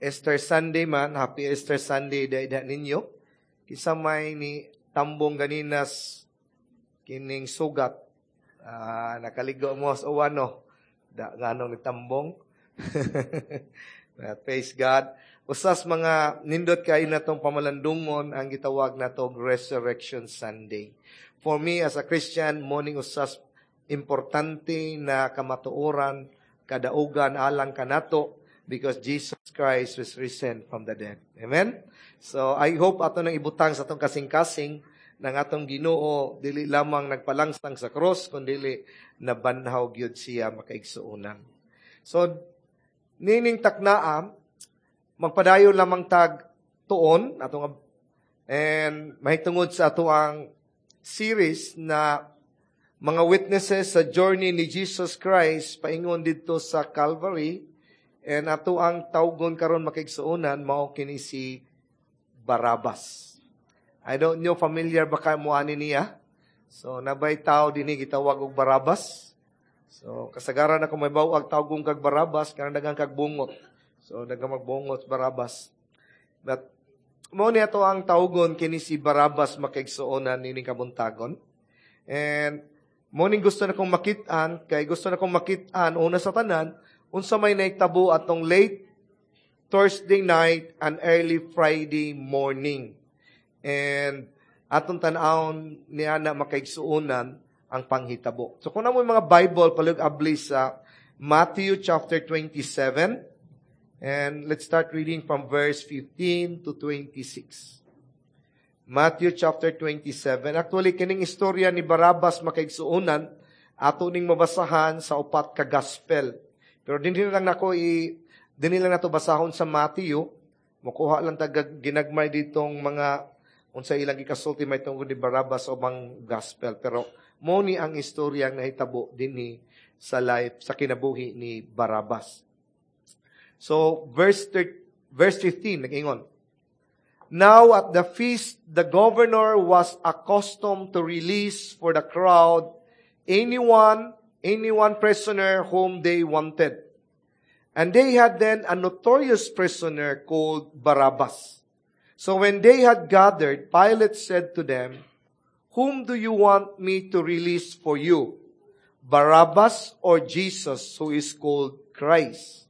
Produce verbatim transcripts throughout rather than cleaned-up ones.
Easter Sunday man, happy Easter Sunday dai ninyo. Kinsa may ni tambong ganinas kining sugat. Ah, nakaligo mo sa uwan no. Da nganong ni tambong. Praise God. Usas mga nindot kaayo natong pamalandungon ang gitawag nato Resurrection Sunday. For me as a Christian, mao ning usas importante na kamatuoran kadaugan alang kanato because Jesus Christ was risen from the dead. Amen? So I hope ato nang ibutang sa atong kasing-kasing ng atong Ginoo dili lamang nagpalangsang sa cross kundi nabanhaw gyud siya makaigsuonan. So nining taknaa magpadayon lamang tag tuon atong and mahitungod sa ato ang series na mga witnesses sa journey ni Jesus Christ paingon didto sa Calvary and ato ang tawgon karon makaigsuonan mao kini si Barabbas. I don't know familiar ba ka mo ani niya? So nabay tao dinhi gitawag og Barabbas. So kasagaran ako may bawag tawgon kag Barabbas kanang daghang kag bungot. So daghang magbungot Barabbas. But mao ni ato ang tawgon kini si Barabbas makaigsuonan nining kabuntagon. And mao ning gusto na kong makit-an kay gusto na kong makit-an una sa tanan unsa may nahitabo atong late Thursday night and early Friday morning. And atong tan-awon niya na makaigsuonan ang panghitabo. So kung naa moy mga Bible, palihog abli sa Matthew chapter twenty-seven. And let's start reading from verse fifteen to twenty-six. Matthew chapter twenty-seven. Actually, kining istorya ni Barabbas makaigsuonan, ato ning mabasahan sa upat ka gospel. Pero dinhi lang nako i dinhi lang nato basahon sa Matthew. Mukuha lang tag ginagmay ditong mga unsa ilang gikasulti may tungod ni Barabbas sa ubang gospel. Pero mo ni ang istorya ang nahitabo dinhi sa life sa kinabuhi ni Barabbas. So verse thirty, verse fifteen nag-ingon. Now at the feast, the governor was accustomed to release for the crowd anyone, anyone prisoner whom they wanted. And they had then a notorious prisoner called Barabbas. So when they had gathered, Pilate said to them, "Whom do you want me to release for you? Barabbas or Jesus, who is called Christ?"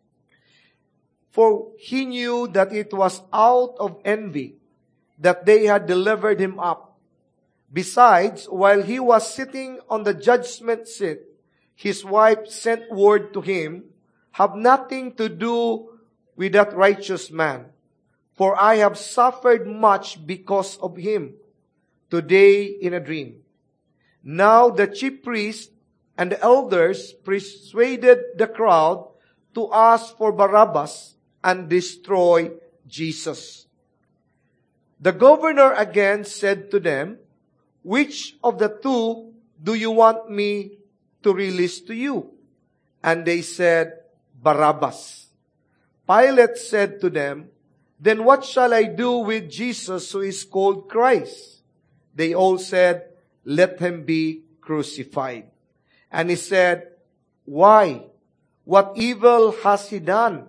For he knew that it was out of envy that they had delivered him up. Besides, while he was sitting on the judgment seat, his wife sent word to him, "Have nothing to do with that righteous man, for I have suffered much because of him today in a dream." Now the chief priest and the elders persuaded the crowd to ask for Barabbas and destroy Jesus. The governor again said to them, "Which of the two do you want me to release to you?" And they said, "Barabbas." Pilate said to them, "Then what shall I do with Jesus who is called Christ?" They all said, "Let him be crucified." And he said, "Why? What evil has he done?"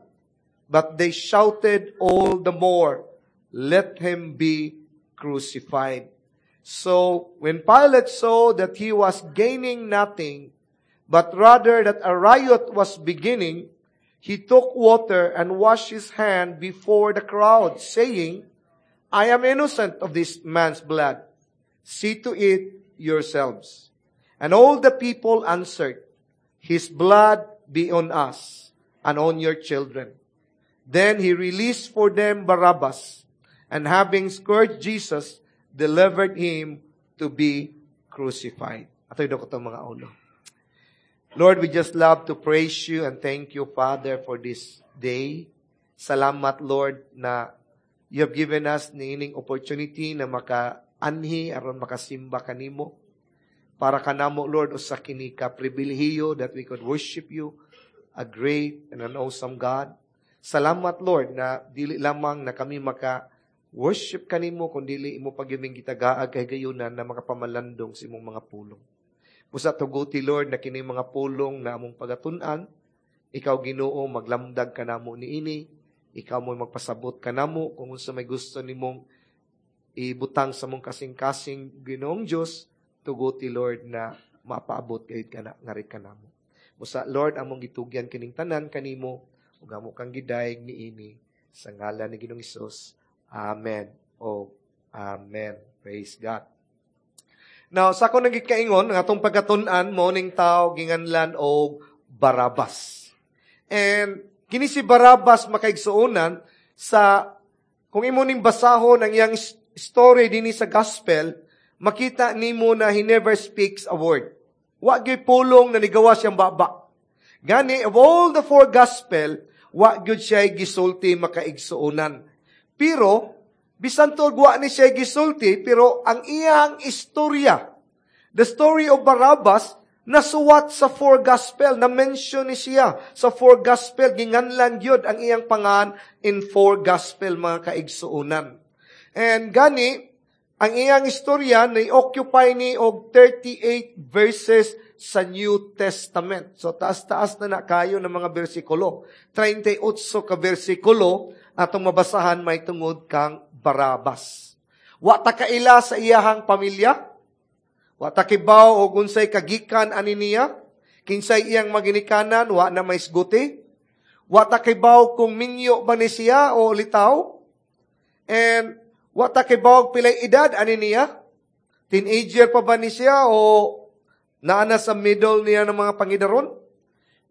But they shouted all the more, "Let him be crucified." So when Pilate saw that he was gaining nothing, but rather that a riot was beginning, he took water and washed his hand before the crowd, saying, "I am innocent of this man's blood. See to it yourselves." And all the people answered, "His blood be on us and on your children." Then he released for them Barabbas, and having scourged Jesus, delivered him to be crucified. Ato'y dako mga ulo. Lord, we just love to praise you and thank you, Father, for this day. Salamat, Lord, na you have given us niining opportunity na maka-anhi aron makasimba kanimo. Para kanamo, Lord, usa kini ka pribilehiyo that we could worship you, a great and an awesome God. Salamat, Lord, na dili lamang na kami maka worship kanimo kun dili imo pagyuming gitagaag kahigayunan na makapamalandong sa imong mga pulong. Busa tuguti, Lord, na kini mga pulong na among pagatun-an, ikaw Ginoo maglamdag kanamo niini, Ikaw mo magpasabot kanamo kung unsa may gusto nimong ibutang sa mong kasing-kasing Ginoong Dios tuguti Lord na mapaabot gayud kana ngari kanamo. Busa Lord among gitugyan kining tanan kanimo ug amo kang gidayeg niini sa ngalan ni Ginoong Hesus. Amen. O Amen. Praise God. Now, sa ako nagikaingon, ang atong pagkatun-an, mao ning tao ginganlan og Barabas. And kini si Barabas makaigsuonan sa kung imo ning basahon ang iyang story dinhi sa gospel, makita nimo na he never speaks a word. Wa gyud pulong na nigawas siyang baba. Gani of all the four gospel, wa gyud siya gisulti makaigsuonan. Pero bisan tuod wa ni siya gisulti, pero ang iyang istorya, the story of Barabbas, nasuwat sa four gospel, na-mention ni siya sa four gospel, ginganlan gyud ang iyang pangan in four gospel mga kaigsuonan. And gani, ang iyang istorya na-occupy ni og thirty-eight verses sa New Testament. So taas-taas na na kayo ng mga bersikulo. thirty-eight ka bersikulo atong mabasahan may tungod kang Barabas. Wa ta kaila sa iyahang pamilya. Wa ta kibaw og unsay kagikan ani niya. Kinsay iyang maginikanan, wa na may isguti. Wa ta kibaw kung minyo ba ni siya o litaw. And wa ta kibaw pilay edad ani niya. Teenager pa ba ni siya o naa na sa middle niya ng mga pangidaron?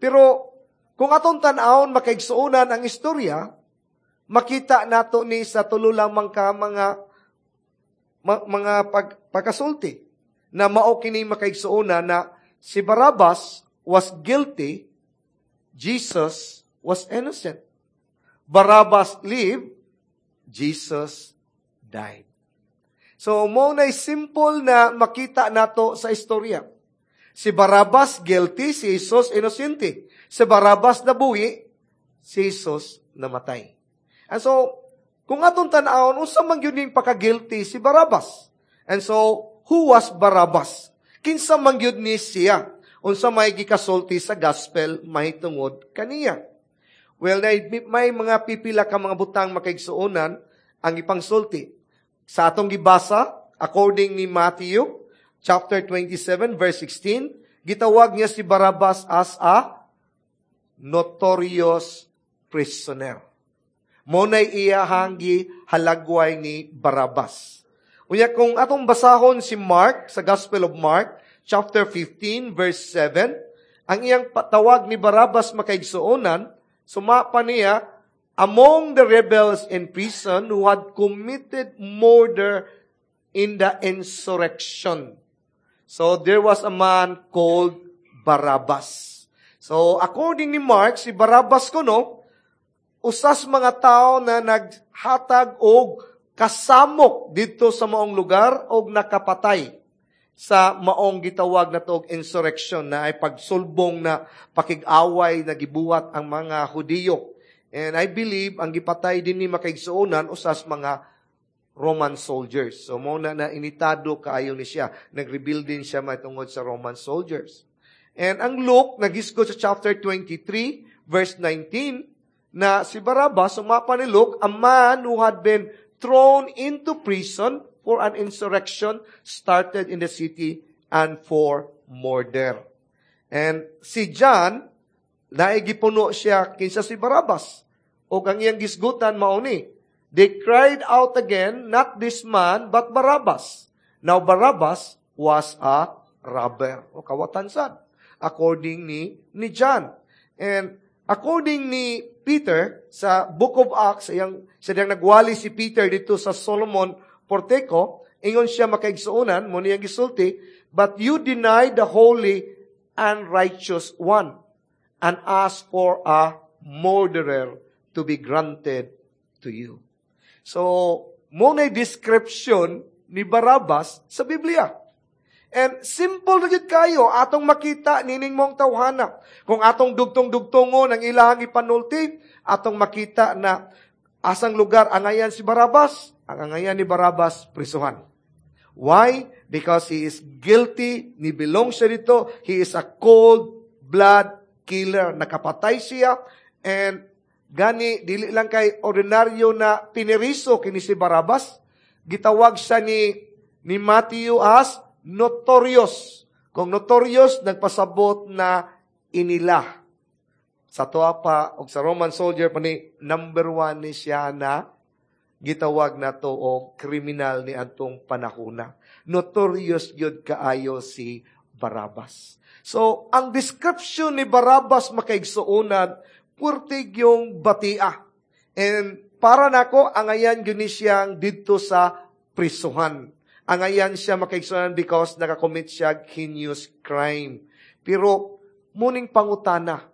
Pero kung atong tan-awon makaigsuonan ang istorya, makita nato ni sa tulo lamang ka mga ma, mga pag, pagkasulti na mao kini makaigsuonan na si Barabbas was guilty, Jesus was innocent. Barabbas lived, Jesus died. So, mao na simple na makita nato sa istorya. Si Barabbas guilty, si Jesus innocente. Si Barabbas nabuhi, si Jesus namatay. And so, kung atong tan-awon, unsa man gyud ning paka-guilty si Barabbas? And so, who was Barabbas? Kinsa man gyud ni siya? Unsa may gikasulti sa gospel mahitungod kaniya? Well, may mga pipila ka mga butang makaigsuonan ang ipangsulti. Sa atong gibasa, according ni Matthew, chapter twenty-seven, verse sixteen, gitawag niya si Barabbas as a notorious prisoner. Mao nay iyahang gihalagway ni Barabbas. Unya kung atong basahon si Mark sa Gospel of Mark, chapter fifteen, verse seven, ang iyang tawag ni Barabbas makaigsuonan, sumapa niya, among the rebels in prison who had committed murder in the insurrection. So there was a man called Barabbas. So according ni Mark, si Barabbas kuno, usas mga tao na naghatag og kasamok dito sa maong lugar og nakapatay sa maong gitawag na og insurrection na ay pagsulbong na pakig-away na gibuhat ang mga Hudiyo. And I believe ang gipatay din ni makaigsuonan usas mga Roman soldiers. So mao na na initado kaayo ni siya. Nag-rebuild din siya mahitungod sa Roman soldiers. And ang Luke, nagisgot sa chapter twenty-three, verse nineteen, na si Barabbas, sumapa ni Luke, a man who had been thrown into prison for an insurrection started in the city and for murder. And si John, naigipuno siya kinsa si Barabbas. O ang iyang gisgutan mao ni, they cried out again, not this man, but Barabbas. Now Barabbas was a robber. O kawatan sad, according ni, ni John. And according ni Peter, sa Book of Acts, iyang, sa diyang nagwali si Peter dito sa Solomon Portico, ingon siya makaigsuonan, mo niyang gisulti, but you deny the holy and righteous one, and ask for a murderer to be granted to you. So, mo na description ni Barabbas sa Biblia. And simple na gyud kayo atong makita nining mong tawhana. Kung atong dugtong-dugtongon ang ilahang ipanulti, atong makita na asang lugar angayan si Barabbas, ang angayan ni Barabbas prisuhan. Why? Because he is guilty, ni belong siya dito, he is a cold blood killer. Nakapatay siya and Gani dili lang kay ordinaryo na pineriso kini si Barabas, gitawag siya ni ni Matthew as notorious. Kung notorious, nagpasabot na inila. Sa tuwa pa, og sa Roman soldier pa ni, number one ni siya na gitawag na to og kriminal ni atong panahona. Notorious gyud kaayo si Barabas. So, ang description ni Barabas, makaigsuonan, puwerte yung batia. And para nako, angayan gyud ni siyang didto sa prisuhan. Angayan siya, makaigsuonan, because nakakommit siya heinous crime. Pero, muning pangutana,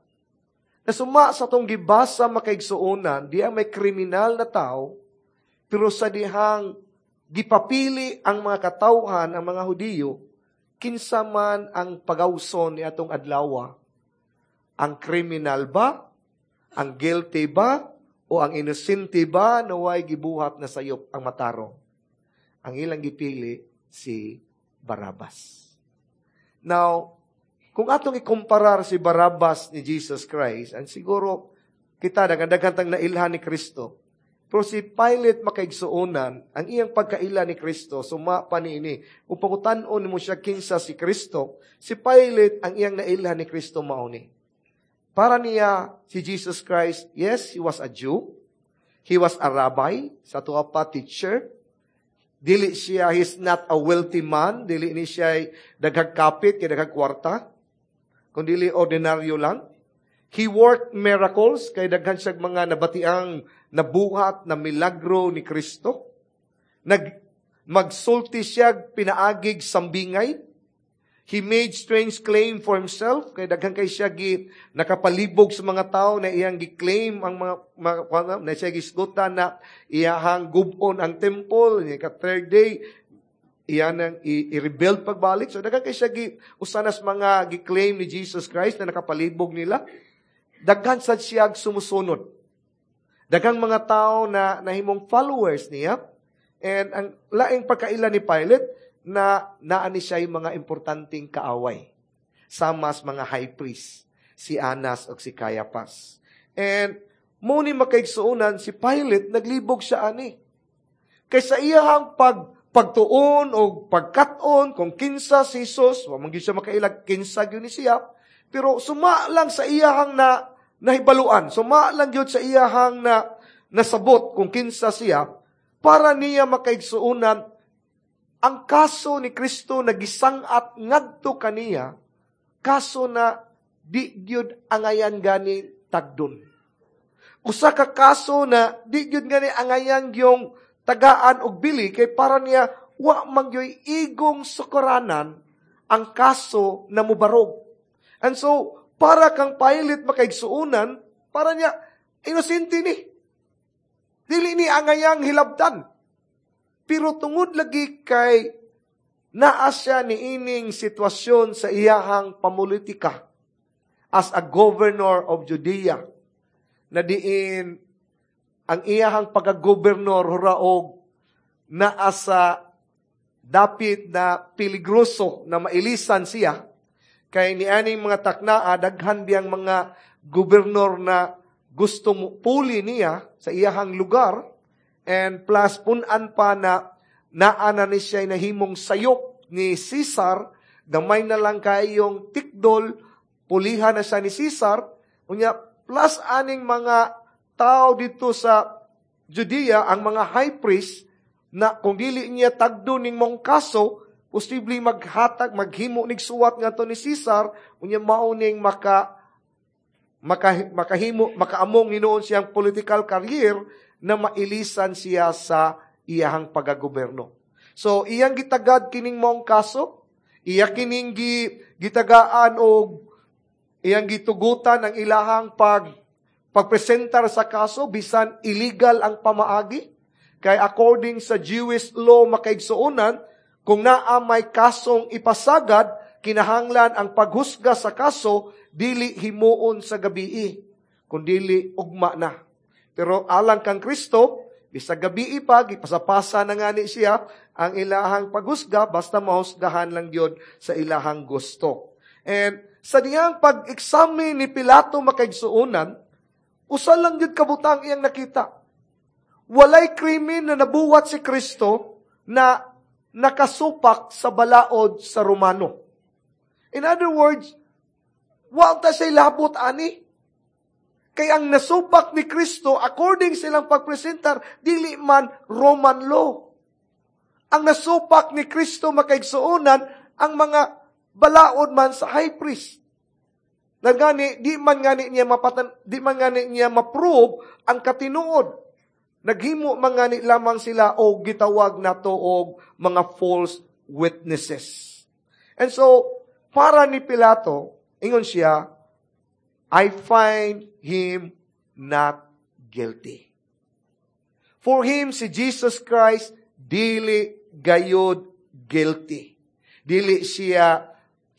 nasuma sa tong gibasa, makaigsuonan, di ang may kriminal na tao, pero sa dihang gipapili ang mga katawhan, ang mga Hudiyo, kinsa man ang pagawson ni atong adlaw? Ang kriminal ba? Ang guilty ba? O ang inosente ba na way gibuhat na sayop ang matarong? Ang ilang gipili si Barabas. Now, kung atong ikumparar si Barabas ni Jesus Christ, and siguro kita daghan tang nailhan ni Kristo, pero si Pilate, makaigsuonan, ang iyang pagkaila ni Kristo, suma pa niini. Kung pangutan-on mo siya kinsa si Kristo, si Pilate, ang iyang nailhan ni Kristo mao ni. Para niya, si Jesus Christ, yes, he was a Jew. He was a rabbi, sa tuwa pa teacher. Dili siya, he's not a wealthy man. Dili ni siya daghag kapit, kay daghag kwarta. Kung dili ordinaryo lang. He worked miracles, kay daghan siya mga nabatiang nabuhat na milagro ni Kristo. Nag, magsulti siya pinaagig sambingay. He made strange claim for himself, kay daghan kay siya gi nakapalibog sa mga tao na iyang gi-claim ang mga, mga na siya gisgutan na iyahang gubon ang temple ni ka third day iyan ang i-rebuild pagbalik. So daghan kay siya gi usanas mga gi-claim ni Jesus Christ na nakapalibog nila. Daghan sad siya sumusunod. Daghang mga tao na nahimong followers niya. And ang laing pagkaila ni Pilate na naa ni siya yung mga importanteng kaaway. Samas mga high priest, si Anas o si Caiaphas. And mo ni, makaigsuonan, si Pilate naglibog siya ani. Kay sa iyahang pag pagtuon o pagkat-on kung kinsa si Jesus, wa man gyud siya makailag kinsa gyud ni siya, pero suma lang sa iyahang na nahibaluan, suma lang gyud sa iyahang na nasabot kung kinsa siya, para niya, makaigsuonan, ang kaso ni Kristo nagisang-at ngadto kaniya, kaso na di gyud angayan gani tagdon. Usa ka kaso na di gyud gani angayan yung tagaan og bili kay para niya wa man gyud igong sukaranan ang kaso na mubarog. And so, para kang Pilate, makaigsuonan, para niya, inosente ni. Dili ni angayang hilabtan. Pero tungod lagi kay naa siya ni ining sitwasyon sa iyahang pamulitika as a governor of Judea na diin ang iyahang pagka-gobernor huraog naa sa dapit na peligroso na mailisan siya kay nianing mga taknaa daghan biyang mga gobernor na gusto mo puli niya sa iyahang lugar, and plus punan pa na naa na ni siya nahimong sayop ni Caesar. Gamay na lang kayong tikdol, pulihan na siya ni Caesar. Unya plus aning mga tao dito sa Judea, ang mga high priest, na kung dili niya tagdo ning mong kaso, posible maghatag, maghimo nig suwat ngadto ni Caesar. Unya mao ning maka maka, makahimo makaamong hinuon siyang political career na mailisan siya sa iyahang pagagoberno. So iyang gitagad kining mong kaso, iya kining gi, gitagaan og iyang gitugutan ang ilahang pag pagpresentar sa kaso bisan illegal ang pamaagi. Kay according sa Jewish law, makaigsuonan, kung naa may kasong ipasagad, kinahanglan ang paghusga sa kaso dili himuon sa gabii, kundili ugma na. Pero alang kang Kristo, bisag gabii pa, gipasapasa na ngani siya ang ilahang paghusga, basta mahusgahan lang gyud sa ilahang gusto. And sa diyang pag-examine ni Pilato, makaigsuonan, Usa lang gyud kabutang iyang nakita. Walay krimen na nabuhat si Kristo na nakasupak sa balaod sa Romano. In other words, wa ta siya labot ani. Kay ang nasupak ni Kristo, according silang pagpresentar, dili man Roman law. Ang nasupak ni Kristo makaigsuonan, ang mga balaod man sa high priest. Na gani, di man gani niya mapatan, di man gani niya ma-prove ang katinuod. Naghimo man gani lamang sila og gitawag nato og mga false witnesses. And so, para ni Pilato, ingon siya, I find him not guilty. For him, si Jesus Christ, dili gayod guilty. Dili siya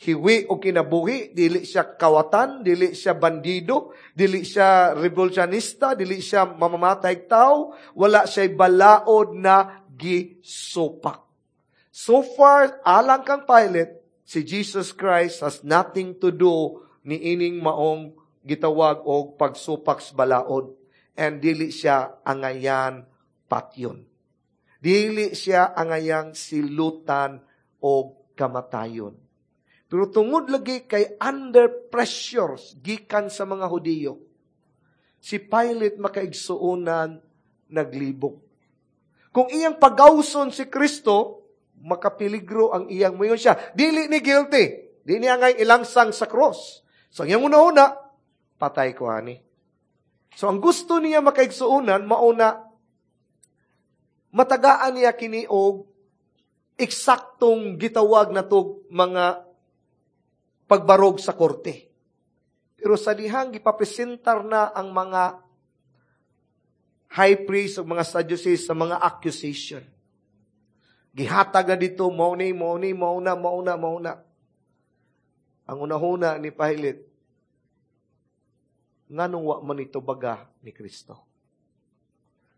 hiwi o kinabuhi, dili siya kawatan, dili siya bandido, dili siya revolutionista, dili siya mamamatay tao, wala siya balaod na gisupak. So far, alang kang Pilate, si Jesus Christ has nothing to do ni ining maong gitawag og pagsupak sa balaod. And dili siya angayan patyon. Dili siya angayang silutan og kamatayon. Pero tungod lagi kay under pressures gikan sa mga Hudiyo, si Pilate makaigsuonan naglibog. Kung iyang pagawson si Kristo, makapeligro ang iyang muyon siya. Dili ni guilty. Di niya ngay ilangsang sa cross. So, ang iyang una-una, patay ko ani. So, ang gusto niya makaigsuonan, mauna, matagaan niya kini og eksaktong gitawag na to mga pagbarog sa korte. Pero sa dihang gipapresentar na ang mga high priest o mga Sadducees sa mga accusation. Gihatag na dito, mao ni, mao ni, mao na, mao na, mao na. Ang unahuna ni Pilate, nganong wa man ito baga ni Kristo.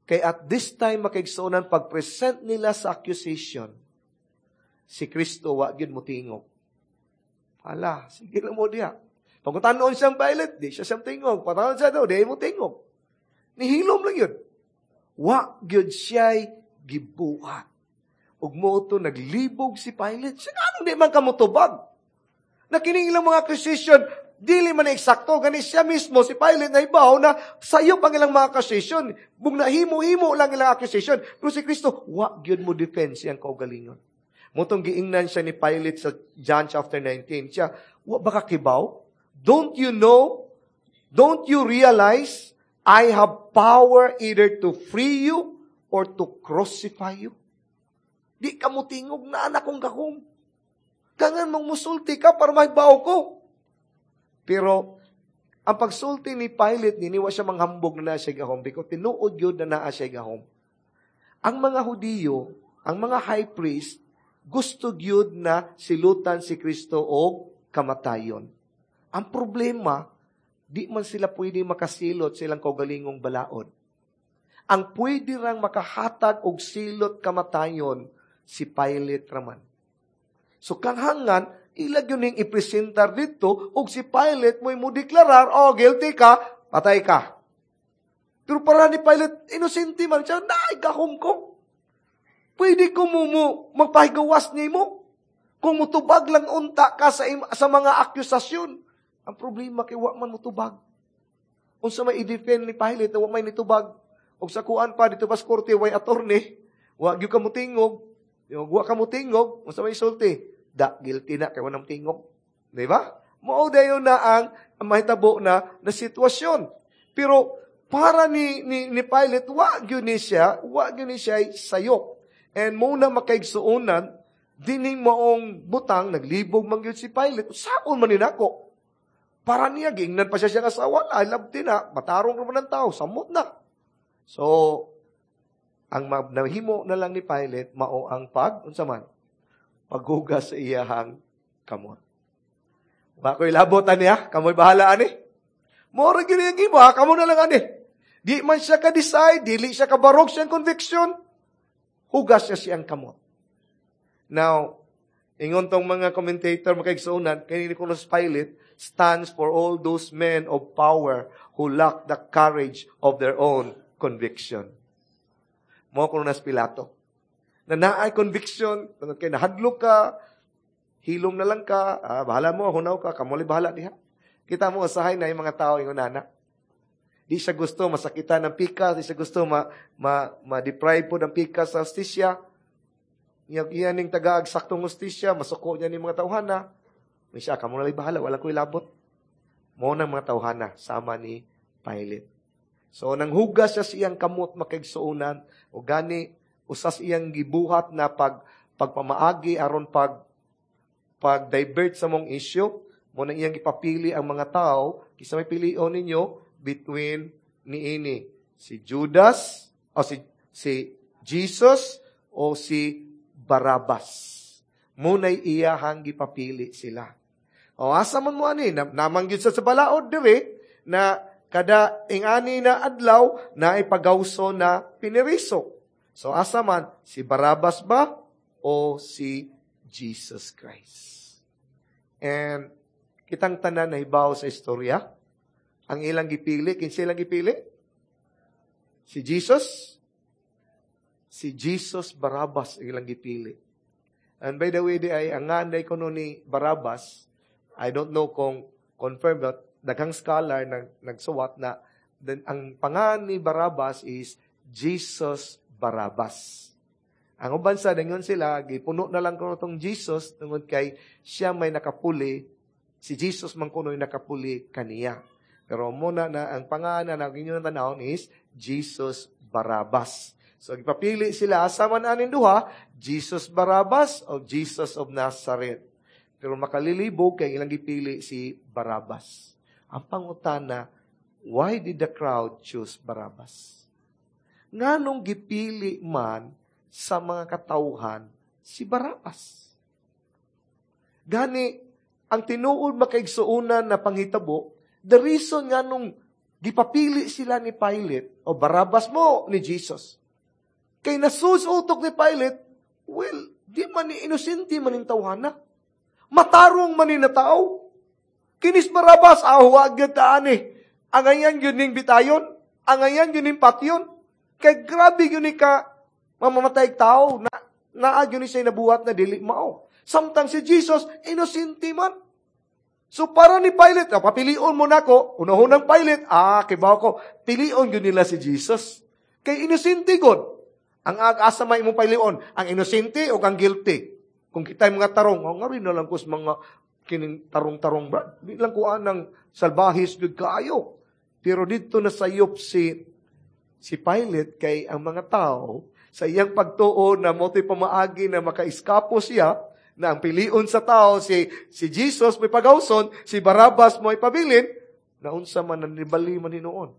Kay at this time, makaigsuonan, pag-present nila sa accusation, si Kristo wa gyud motingog. Hala, sige lang mo diha. Pagkutanon siyang Pilate, di siya siyang tingog. Patanon siya daw, di mo tingog. Nihilom lang yun. Wa gyud siya'y gibuhat. Ug mo to naglibog si Pilate. Siya anong di man kamutubag? Nakining ilang mga accusation, dili man eksakto. Gani siya mismo, si Pilate na ibaw na sayop ang ilang mga accusation. Bung nahimo-himo lang ilang accusation. Pero si Kristo, wa gyud mo defense siyang kaugalingon. Mutong giingnan siya ni Pilate sa John chapter nineteen. Siya, wa ba ka kibaw? Don't you know? Don't you realize I have power either to free you or to crucify you? Di ka mo tingog na anak kong gahom. Kangan mong musulti ka para mahibaw ko. Pero, ang pagsulti ni Pilate, niniwa siya manghambog na naa siya gahom because tinuod yun na naa siya gahom. Ang mga Hudiyo, ang mga high priest, gusto gyud na silutan si Kristo og kamatayon. Ang problema, di man sila pwede makasilot silang kaugalingong balaod. Ang pwede rang makahatag og silot kamatayon, si Pilate raman. So kanghangan, ilag yun yung ipresentar dito, og si Pilate mo'y mo deklarar, oh, guilty ka, patay ka. Pero para ni Pilate, inosente man siya, naay gahom ko. Pwede ko mo, mo magpahigawas nimo. Kung mutubag lang unta ka sa, sa mga akusasyon. Ang problema kay wa man mutubag. Unsa may i-defend ni Pilate na wa may nitubag. Og sa kuan pa dito pas korte way attorney, wa gyud ka motingog. Wa ka motingog, unsa may sulti? Da guilty na kay wa nang tingog. Di ba? Mao dayon na ang, ang mahitabo na na sitwasyon. Pero para ni ni, ni Pilate wa gyud ni siya, wa gyud ni siya sayop. And muna makaigsuonan, dining maong butang, naglibog man gyud si Pilate, saon man ni nako. Para niya, giingnan pa siya siyang asawa, ay labti na, matarong naman ng tao, samot na. So, ang nahimo na lang ni Pilate, mao ang pag, unsa man, paghugas sa iyahang kamot. Wa ko'y labot ani ha, kamoy bahala ani. Mora gyud yung imo ha, kamo na lang ani. Di man siya ka-decide, dili siya kabarog siyang conviction, hugas siya siyang kamot. Now, Ingon tong mga commentator, makaigsuonan, kay ni kuno Pilate stands for all those men of power who lack the courage of their own conviction. Mao kuno na si Pilato. Na naay conviction, tungod kay nahadlok ka, hilom na lang ka, ah, bahala mo, hunaw ka, kamo bahala diha. Kita mo usahay na yung mga tao ingon nana. Di siya gusto masakitan ng pikas, di siya gusto ma, ma, ma-deprive po ng pikas sa hustisya. Iyang iyan ning tagaag saktong hustisya, masuko niya ni mga tawhana. May siya, kamo na bahala, wala ko'y labot. Mao nang mga tawhana, sama ni Pilate. So, nang hugas siya sa iyang kamot makaigsuonan, o gani, usas iyang gibuhat na pag, pagpamaagi aron pag pag-divert sa mong issue, mo nang iyang ipapili ang mga tao, kisa may pilion ninyo between niini si Judas o si si Jesus o si Barabas. Munay iyahang gipapili sila. O asa man mo ani namangyud sa sa balaod dire na kada ingani na adlaw na ipagawso na piniriso. So asa man si Barabas ba o si Jesus Christ? And kitang tanan na hibaw sa istorya, ang ilang gipili, kinsa ilang gipili? Si Jesus? Si Jesus Barabas ang ilang gipili. And by the way, di ay ang nganay kuno ni Barabas, I don't know kung confirm but daghang scholar nag nagsuwat na then ang pangan ni Barabas is Jesus Barabas. Ang uban sa dangon sila gipuno na lang kuno tong Jesus tungod kay siya may nakapuli, si Jesus man kuno'y nakapuli kaniya. Pero muna na ang pangalan na inyong tanawon is Jesus Barabas. So gipapili sila asa man aning duha, Jesus Barabas o Jesus of Nazareth. Pero makalilibog kay ilang gipili si Barabas. Ang pangutana, why did the crowd choose Barabas? Nganong gipili man sa mga katawhan si Barabas? Gani, ang tinuod makaigsuonan na panghitabo, the reason nga nung gipapili sila ni Pilate, o Barabas mo ni Jesus. Kay nasus utok ni Pilate, well, di man ni inosente man ning tawhana. Matarong man ni na tao. Kinis Barabas, ah, huwag gyud ani. Angayan gyud ning bitayon, angayan gyud ning patyon. Kay grabe gyud ni ka mamamatay tao na naa gyud ni siya nabuhat na dili mao. Samtang si Jesus, inosente man. So para ni Pilate, ah, papilion mo nako, unahunang Pilate, ah, kibaw ko, pilion gyud nila si Jesus. Kay inosente god. Ang asa may imong pilion, ang inosente o ang guilty. Kung kita mga tarong, oh, nga rin na lang ko sa mga kining tarong-tarong brad. Di lang ko anang salbahis gyud kaayo. Pero dito na sayop si si Pilate kay ang mga tao sa iyang pagtuo na mo pamaagi na makaiskapo siya, na ang pilion sa tao si si Jesus may pagawson, si Barabas mo pabilin, naunsa man nanibali man hinuon.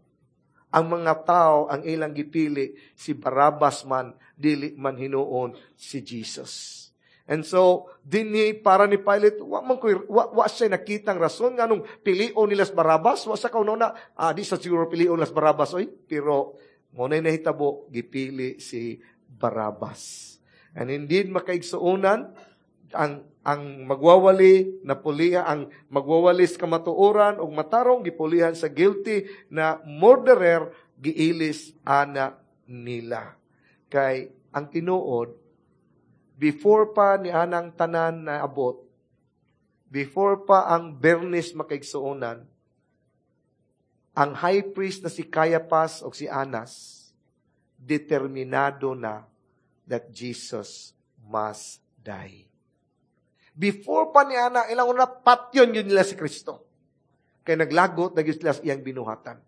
Ang mga tao ang ilang gipili si Barabas man dili man hinuon si Jesus. And so, dinhi para ni Pilate, wa man ko wa, wa siya nakitang rason nganong pilion nila si Barabas, wa sa kauna ah, di sa siguro pilion nila si Barabas oy, pero mo na nahitabo gipili si Barabas. And indeed makaigsuonan ang ang magwawali na puliha ang magwawalis kamatuoran og matarong gipulihan sa guilty na murderer giilis ana nila. Kay ang tinuod before pa ni anang tanan na abot, before pa ang Bernis makaigsuonan, ang high priest na si Caiaphas o si Anas, determinado na that Jesus must die. Before pa ni Ana, ilang una, patyon yun nila si Kristo. Kaya naglagot na sila sa iyang binuhatan.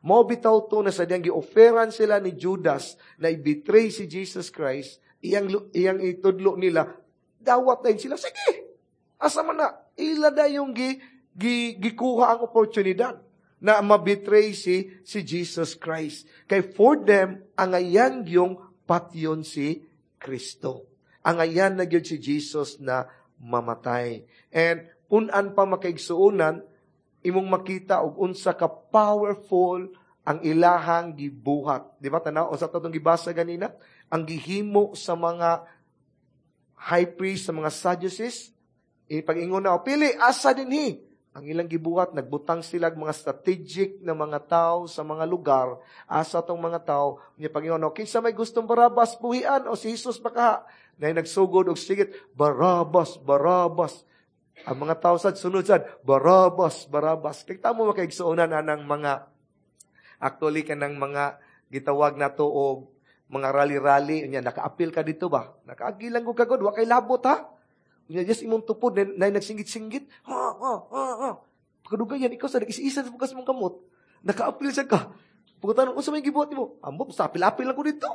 Mao bitaw to na sa diyang gi-offeran sila ni Judas na i-betray si Jesus Christ, iyang, iyang itudlo nila, dawat na sila. Sige, asa man na, ila na yung gi, gi, gikuha ang oportunidad na mabetray si, si Jesus Christ. Kay for them, ang ayan yung patyon si Kristo. Ang ayan na gyud si Jesus na mamatay. And punan pa makaigsuonan, imong makita og unsa ka powerful ang ilahang gibuhat. Di ba tanaw unsa tatong gibasa ganina? Ang gihimo sa mga high priest sa mga Sadducees, ipag-ingon na, o pili, asa dinhi? Ang ilang gibuhat, nagbutang sila mga strategic na mga tao sa mga lugar, asa tong mga tao, niya pag-ingon, o kinsa may gustong Barabas buhian, o si Jesus baka, na nagsugod og sigit, Barabas, Barabas. Ang mga tao sad, sunod sad, Barabas, Barabas. Kita mo makaigsuonan anang mga, actually kanang mga gitawag nato og mga rally-rally, unya naka-apil ka dito ba? Nakaagi lang ko kagod, wa kay labot ha. Unya just imong tupod na, na nagsingit-singgit. Ha ha ha ha. Pagkadugayan ikaw sa nag-isa sa bukas mong kamot. Naka-apil siya ka. Pagkatanong, unsa may gibuhat nimo? Ambot, sa apil-apil lang ko dito.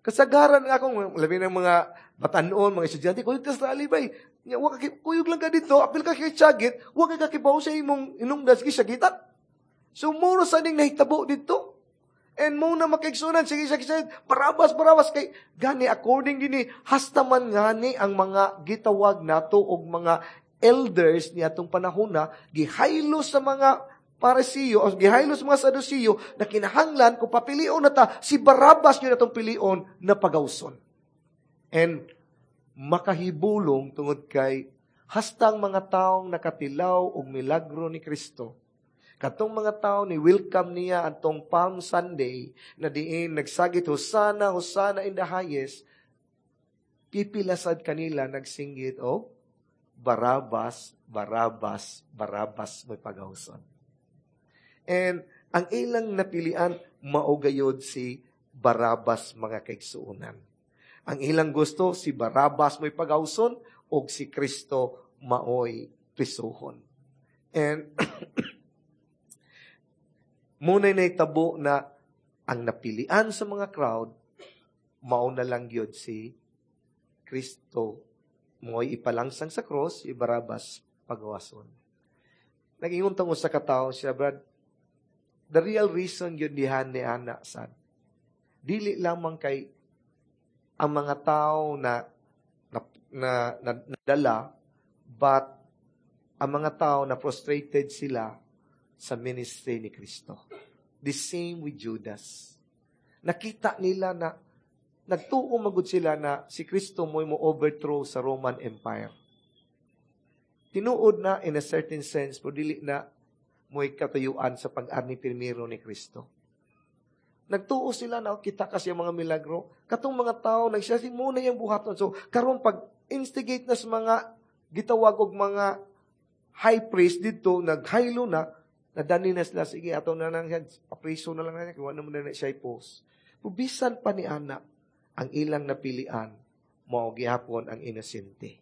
Kasagaran nga akong labi ng mga batanon, mga estudyante, kuyog ka sa rally bay. Nya, wa ka kuyog lang ka dito, apil ka kay tiyagit, wa ka kakibaw sa imong inungdan sige sagitan. So muro sa ning nahitabo dito. And mo na makaigsunan, sige, sige, sige, Barabas, Barabas, kay, gani, according dinhi, hasta man ngani ang mga gitawag nato og mga elders ni atong panahon na, gihaylo sa mga Parisiyo, o gihaylo sa mga Sadusiyo, na kinahanglan, kung papilion na ta, si Barabas yun atong pilion na pagawson. And, makahibulong tungod kay, hastang mga taong nakatilaw og milagro ni Kristo, katong mga tao ni welcome niya atong Palm Sunday na diin nagsagit Hosana, Hosana in the highest, pipilasad kanila nagsinggit og Barabas, Barabas, Barabas may pagawson. And ang ilang napilian mao gayod si Barabas mga kaigsuonan. Ang ilang gusto si Barabas may pagawson og si Kristo maoy prisuhon. And muna'y naitabo na ang napilian sa mga crowd, mao na lang yun si Kristo. Mo'y ipalangsang sa cross, si Barabas pagawason. Nag-ingon tong usa ka tawo siya, Brad, the real reason yun dihan ni Ana sad. Dili lamang kay ang mga tao na na, na, na nadala, but ang mga tao na frustrated sila sa ministry ni Kristo. The same with Judas. Nakita nila na nagtuo magud sila na si Kristo mo'y mo overthrow sa Roman Empire. Tinuod na in a certain sense, pero dili na mo'y katuyuan sa pag-arni primero ni Kristo. Nagtuo sila na kita kasi ang mga milagro. Katong mga tao, nagsiya muna yung buhaton. So, karon pag instigate na sa mga gitawag og mga high priest dito, naghaylo na, nadani na sila, sige, ato na lang siya, papriso na lang na niya, kung ano mo na siya i-post. Bisan pa ni Ana, ang ilang napilian, mao gihapon ang inosente.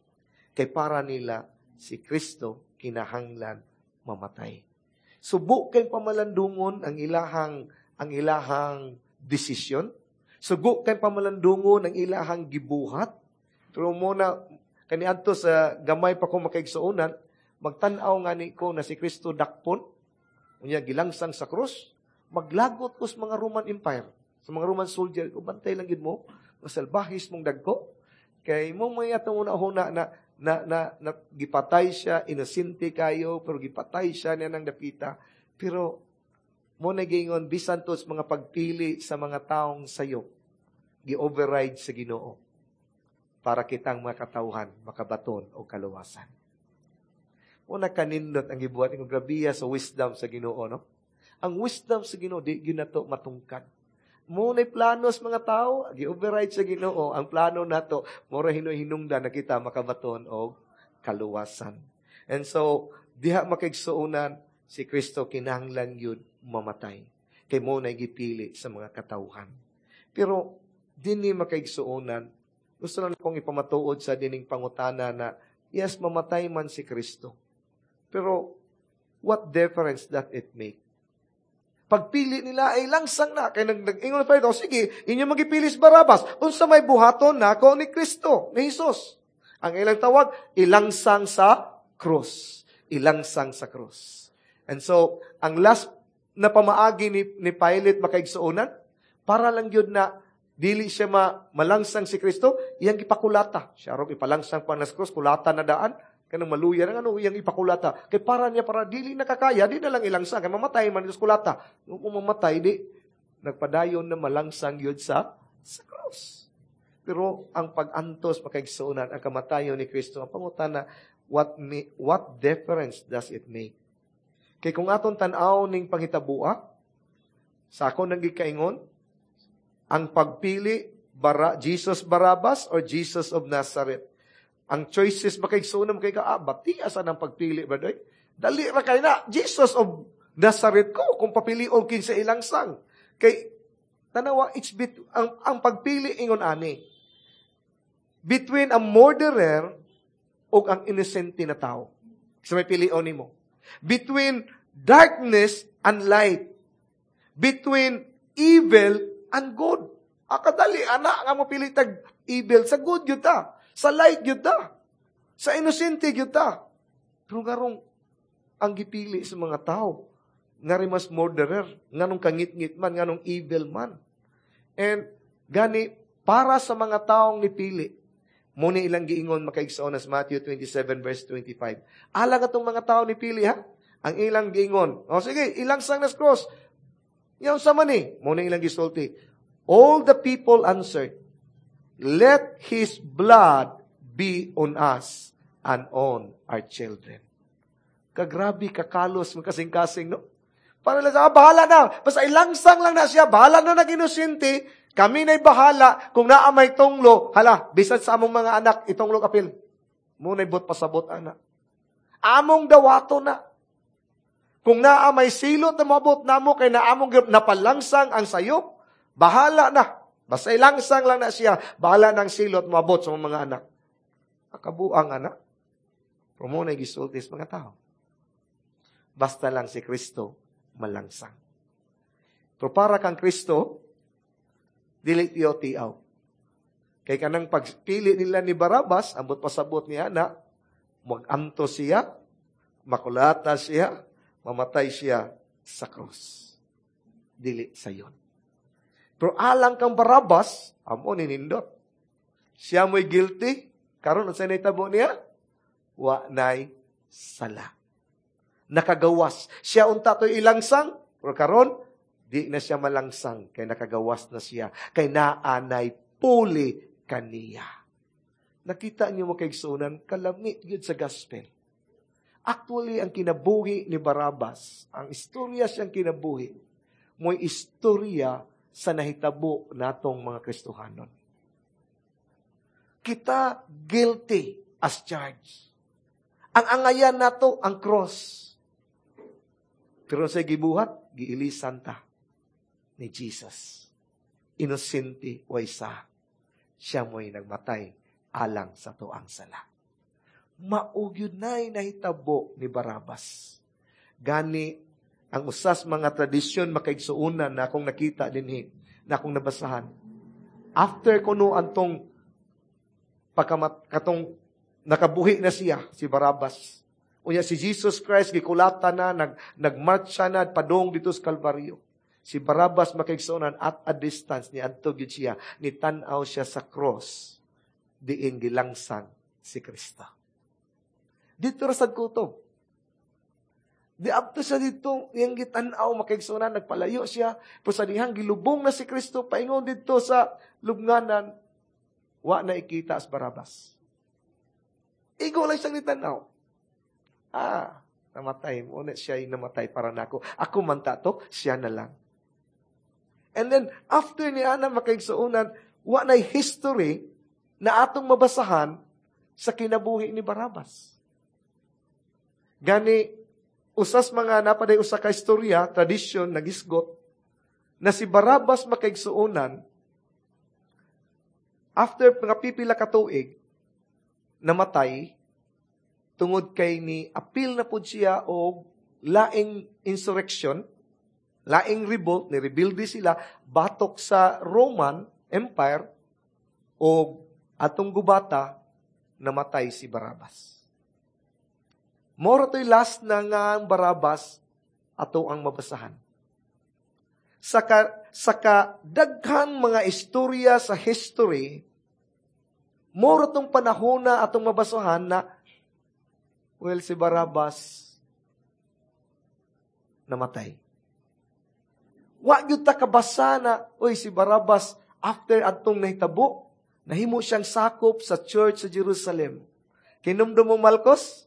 Kay para nila, si Kristo kinahanglan mamatay. Subo kay pamalandungon ang ilahang ang ilahang desisyon. Sugo kay pamalandungon ang ilahang gibuhat. Pero mo na kaniadto sa gamay pa ko makaigsuonan, magtan-aw nga ni ko na si Kristo dakpon, unya gilangsang sa krus, maglagot ko sa mga Roman Empire, sa mga Roman soldier, ko bantay lang gid mo, masalbahis mong dagko. Kay mo may atong una-una na na, na, na gipatay siya, inosente kayo, pero gipatay siya niya ng dapita. Pero mo na giingon bisan to sa mga pagpili sa mga taong sayo, gi-override sa Ginoo para kitang mga katawhan makabaton og kaluwasan. Mo na kanindot ang gibuhat ng grabiya sa wisdom sa Ginoo, no? Ang wisdom sa Ginoo di gyud nato matungkad. Mo na plano sa mga tao, gi-override sa Ginoo ang plano nato, mura hinuy-hinungdan na kita makabaton og kaluwasan. And so diha makaigsuonan si Kristo kinahanglan gyud mamatay. Kay mo na gipili sa mga katawhan. Pero dinhi makaigsuonan, gusto lang akong ipamatuod sa dining pangutana na yes, mamatay man si Kristo. Pero what difference does it make? Pagpili nila ay langsang na. Kaya nag, nag-ingon pa ito, sige, inyo magipili si Barabas. Unsa may buhaton nako ni Kristo, ni Jesus. Ang ilang tawag, ilangsang sa krus. Ilangsang sa krus. And so, ang last na pamaagi ni, ni Pilate makaigsuonan, para lang yun na dili siya ma, malangsang si Kristo, iyang ipakulata. Siya rog ipalangsang pa na sa krus, kulata na daan, kanang maluya ng ano, iyang ipakulata. Kay para niya, para dili nakakaya, di na lang ilangsang. Kay mamatay man ito sa kulata. Kung mamatay, di, nagpadayon na malangsang yun sa, sa cross. Pero ang pag-antos makaigsuonan, ang kamatayon ni Kristo, ang pangutana, what, me, what difference does it make? Kay kung atong tan-aw ning panghitaboa, sa ako nang gikaingon, ang pagpili, Bara, Jesus Barabbas or Jesus of Nazareth. Ang choices makaigsuonan kay ka, ah, bati asa ng pagpili, brother? Dali ra kay na, Jesus of Nazareth ko, kung papilion kinsa ilangsang. Kay, tanawa, it's bit, ang, ang pagpili ingon ani. Between a murderer o ang innocent na tao. Sa may pilion nimo. Between darkness and light. Between evil and good. Akadali, ana, nga mo pili tag evil. Sa good yun ta. Sa light yun ta. Sa innocent yun ta. Pero ngarong ang gipili sa mga tao, ngari mas murderer, nganong kangit-ngit man, nganong evil man. And gani, para sa mga taong nipili, muni ilang giingon makaigsoon as Matthew twenty-seven verse twenty-five. Alang atong mga tao nipili ha, ang ilang giingon. O sige, ilangsang nas cross. Yaw sa man eh, muni ilang gisulti. All the people answered, "Let his blood be on us and on our children." Kagrabe, kakalos, makasing-kasing, no? Para lang sa, ah, bahala na. Basta ilangsang lang na siya, bahala na nag-inosente, kami na'y bahala, kung naa may tunglo, hala, bisan sa among mga anak, itunglo kapil. Muna'y bot pasabot, anak. Among dawato na. Kung naa may silot na mabot namo, kay naamong napalangsang ang sayop, bahala na. Basta ilangsang lang na siya, bahala ng silot mabot sa mga anak. Akabuang anak. Pero muna'y gisulti sa mga tao. Basta lang si Kristo malangsang. Pero para kang Kristo, dili tiyo tiaw. Kay kanang pagpili nila ni Barabas, ambot pasabot niya na, mag-anto siya, makulata siya, mamatay siya sa krus. Dili sayon. Pero alang kang Barabas, amo ni nindot. Siya mo'y guilty, karon unsay nahitabo niya? Wa nay sala. Nakagawas. Siya unta to'y ilangsang, pero karon di na siya malangsang, kay nakagawas na siya, kay naanay puli kaniya. Nakita niyo mo kaigsunan, kalami yun sa gospel. Actually, ang kinabuhi ni Barabas, ang istorya siyang kinabuhi, mo'y istorya sa nahitabo natong mga Kristohanon. Kita guilty as charged. Ang angayan nato, ang cross. Pero sa gibuhat, giilisan ta ni Jesus. Inosente way sa. Siya mo'y nagmatay alang sa tuang sala. Maugyod na'y nahitabo ni Barabas. Gani, ang usas mga tradisyon makaigsuunan na akong nakita dinhi, na akong nabasahan. After kuno antong pagkamat, katong nakabuhi na siya, si Barabas. Unya si Jesus Christ gikulata na, nag, nagmarcha na padong dito sa Kalbaryo. Si Barabas makaigsuonan at a distance ni adto gyud siya, ni tan-aw siya sa cross diin gilangsang si Kristo. Dito ra sad kutob. Di abto siya dito, iyang gitan-aw makaigsuonan, nagpalayo siya. Pero sa dihang gilubong na si Kristo paingon dito sa lubnganan, wa na ikita as Barabas. Igo lang siyang gitan-aw. Ah, namatay. Muna siya yung namatay para nako. Ako man ta to, siya na lang. And then, after ni Ana makaigsuonan, wa na'y history na atong mabasahan sa kinabuhi ni Barabas. Gani, usas mga napaday usa ka istorya, tradisyon, nagisgot, na si Barabas makaigsuonan, after mga pipila ka tuig, namatay, tungod kay ni apil na pud siya og laing insurrection, laing revolt, ni rebelde sila, batok sa Roman Empire, og atong gubata, namatay si Barabas. Moro to'y last na nga ang Barabas, ato ang mabasahan. Saka, saka daghang mga istorya sa history, moro tong panahon na atong mabasahan na, well, si Barabas namatay. Wa gyud ta kabasa na, oy, si Barabas, after atong nahitabo, Nahimo siyang sakop sa church sa Jerusalem. Kinumdum mo Malcos?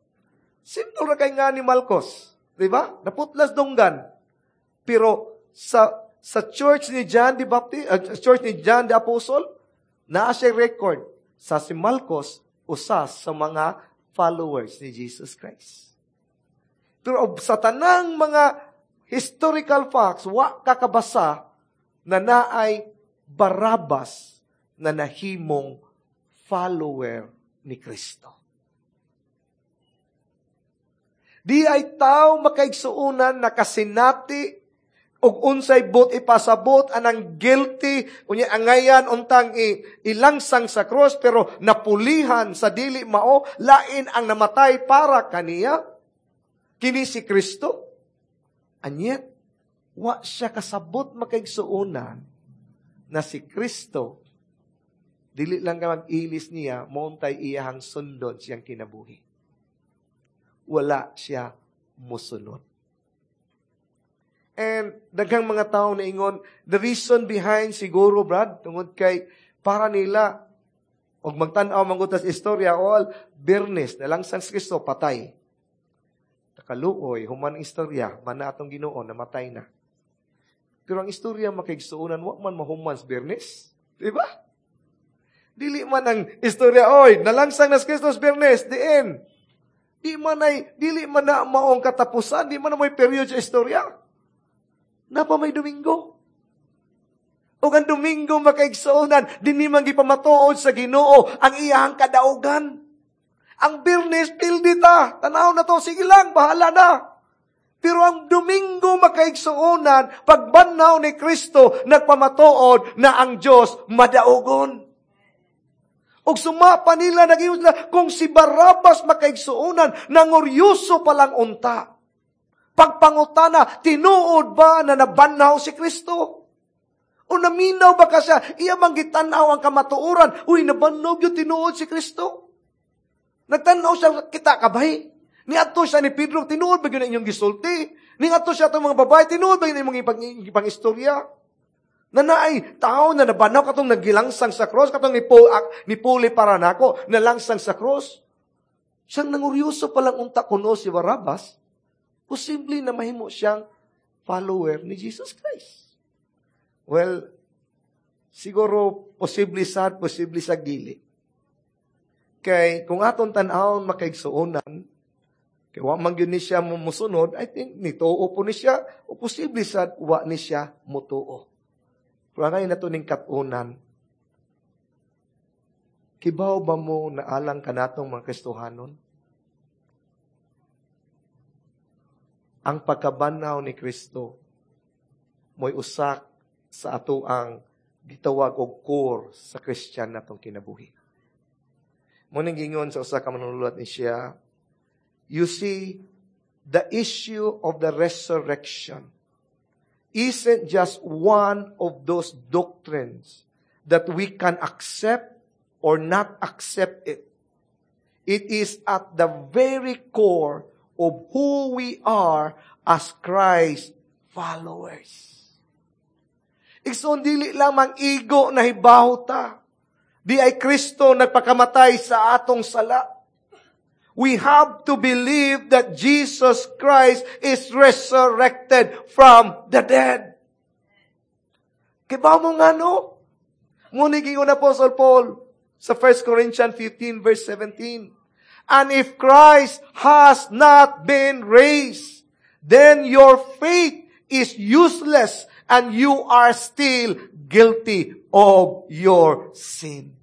Simple ra kay nga ni Malcos. Di ba? Naputlas dunggan. Pero sa sa church ni John the Baptist, uh, church ni John the Apostle, naa siya record sa si Malcos usa sa mga followers ni Jesus Christ. Pero sa tanang mga historical facts, wa kakabasa na naay Barabas na nahimong follower ni Kristo. Di ay tao makaigsuunan na kasinati og unsay buot ipasabot anang guilty unya angayan untang i, ilangsang sa cross pero napulihan sa dili mao lain ang namatay para kaniya kini si Kristo anyet wa siya kasabot makaigsuonan na si Kristo dili lang ka mag-ilis niya mauntay iyahang sundon siyang kinabuhi wala siya musunod And daghang mga tao na ingon, the reason behind siguro, Brad, tungod kay para nila, og magtan-aw man sa istorya, all, Biyernes, nalangsang si Kristo, patay. Nakaluoy, human ang istorya, man na atong Ginoo, namatay na. Pero ang istorya makaigsuonan, wa man mahuman sa Biyernes. Di ba? Dili man ang istorya, oy, nalangsang na si Kristo sa Biyernes, the end. Di man ay, dili man na maong katapusan, di man na may period sa istorya. Napa may Domingo. O ang Domingo makaigsuonan, dinhi man gipamatuod sa Ginoo ang iyang kadaugan. Ang Biyernes, pildi ta. Tanaw na to, sige lang, bahala na. Pero ang Domingo makaigsuonan, pagbanhaw ni Kristo, nagpamatuod na ang Diyos madaugon. Og sumapa nila, nag sila, kung si Barabas makaigsuonan, nanguryoso pa lang unta. Pagpangutana, tinuod ba na nabanhaw si Kristo? O naminaw ba ka siya? Iya bang gitanaw ang kamatuoran? Uy, nabanhaw gyud tinuod si Kristo. Nagtanaw siya, kita kabay. Niadto siya ni Pedro, tinuod ba gyud inyong gisulti? Niadto siya atong mga babae, tinuod ba gyud inyong ipang, ipang istorya? Na naay tao na nabanhaw katong nagilangsang sa cross, katong nipo, nipuli para nako, nalangsang sa cross. Siyang nanguryoso pa lang unta kuno si Barabas, posible na mahimo siyang follower ni Jesus Christ. Well, siguro posible sad, posible sa dili. Kay kung atong tan-awon makaigsuonan, kay wa man gyud ni siya musunod, I think nituo po ni siya, o posible sad wa ni siya mutuo. Pero ngayon nato ning kat-unan, kibaw ba mo na alang kanatong mga Kristohanon? Ang pagkabanhaw ni Kristo mo'y usak sa ato ang gitawag og core sa Christian natong kinabuhi. Mo ning gingon sa usa ka manululat ni siya, you see, the issue of the resurrection isn't just one of those doctrines that we can accept or not accept it. It is at the very core of who we are as Christ followers. Igsoon, dili lamang igo na hibaw ta. Di ay Kristo nagpakamatay sa atong sala. We have to believe that Jesus Christ is resurrected from the dead. Kibaw mo nga no? Ngunit gingon Apostle Paul sa First Corinthians fifteen verse seventeen. And if Christ has not been raised, then your faith is useless and you are still guilty of your sin.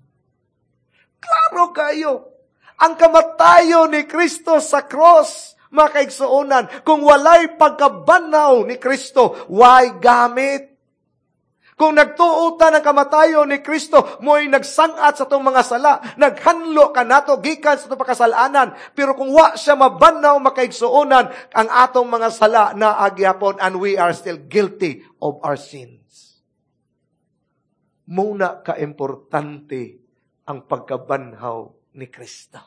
Klaro kayo. Ang kamatayo ni Kristo sa cross, mga kaigsuonan, kung walay pagkabanhaw ni Kristo, why gamit? Kung nagtuo ta ng kamatayon ni Kristo, mo'y nagsangat sa itong mga sala, naghanlo ka nato, gikan sa itong pagkasalanan. Pero kung wa siya mabanhaw makaigsuonan, ang atong mga sala na agyapon, and we are still guilty of our sins. Muna ka-importante ang pagkabanhaw ni Kristo.